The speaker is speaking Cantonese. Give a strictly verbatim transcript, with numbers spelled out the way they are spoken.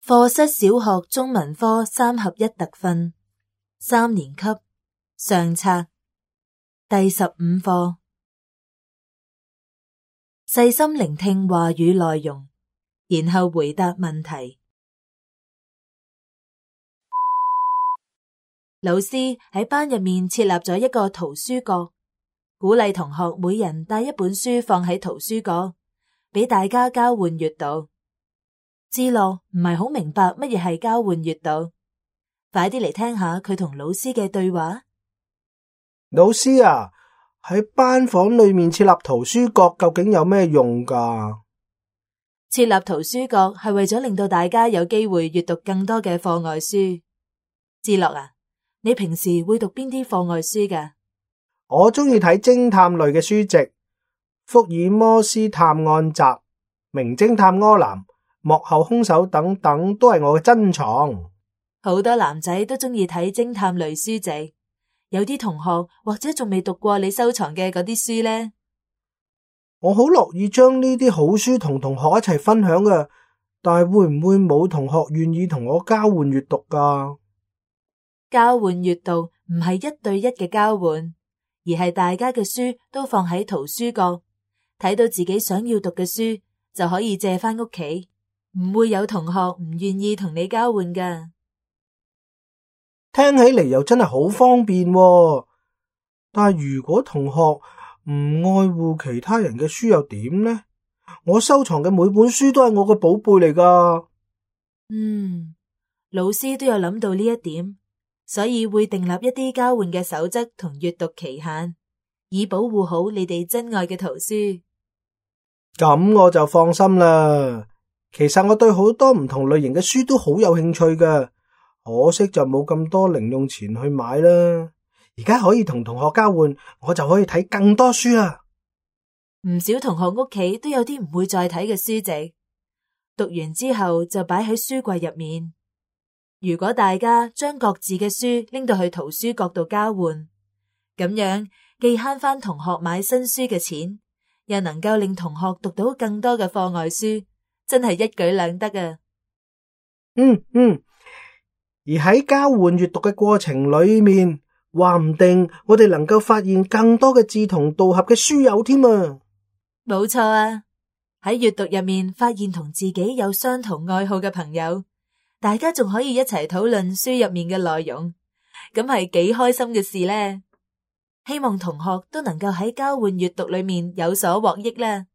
課室小學中文科三合一特訓，三年級上冊第十五課，細心聆聽話語內容，然後回答問題。老師喺班入面設立咗一個圖書角，鼓勵同學每人帶一本書放喺圖書角，俾大家交換閱讀。智樂唔係好明白乜嘢係交換閱讀，快啲嚟聽下佢同老師嘅對話。老師啊，喺班房裏面設立圖書角究竟有咩用㗎？設立圖書角係為咗令到大家有機會閱讀更多嘅課外書。智樂啊，你平時會讀邊啲課外書㗎？我鍾意睇偵探類嘅書籍，福爾摩斯探案集、名偵探柯南、幕後兇手等等都係我嘅珍藏。好多男仔都鍾意睇偵探類書籍，有啲同學或者仲未讀過你收藏嘅嗰啲書呢。我好樂意將呢啲好書同同學一齊分享嘅，但係會唔會冇同學願意同我交換閱讀㗎？交換閱讀唔係一對一嘅交換，而係大家嘅書都放喺圖書角，睇到自己想要讀嘅書就可以借返屋企。唔會有同學唔願意同你交換㗎。聽起嚟又真係好方便喎，但係如果同學唔愛護其他人嘅書又點呢？我收藏嘅每本書都係我嘅寶貝嚟㗎。嗯，老師都有諗到呢一點，所以會訂立一啲交換嘅守則同閱讀期限，以保護好你哋珍愛嘅圖書。咁我就放心啦。其實我對好多唔同類型嘅書都好有興趣嘅，可惜就冇咁多零用錢去買啦。而家可以同同學交換，我就可以睇更多書啦。唔少同學屋企都有啲唔會再睇嘅書籍，讀完之後就擺喺書櫃入面。如果大家將各自嘅書拎到去圖書角度交換，咁樣既慳返同學買新書嘅錢，又能夠令同學讀到更多嘅課外書。真係一舉兩得啊！嗯嗯，而喺交換閱讀嘅過程裏面，話唔定我哋能夠發現更多嘅志同道合嘅書友添啊！冇錯啊！喺閱讀入面發現同自己有相同愛好嘅朋友，大家仲可以一齊討論書入面嘅內容，咁係幾開心嘅事呢！希望同學都能夠喺交換閱讀裏面有所獲益啦！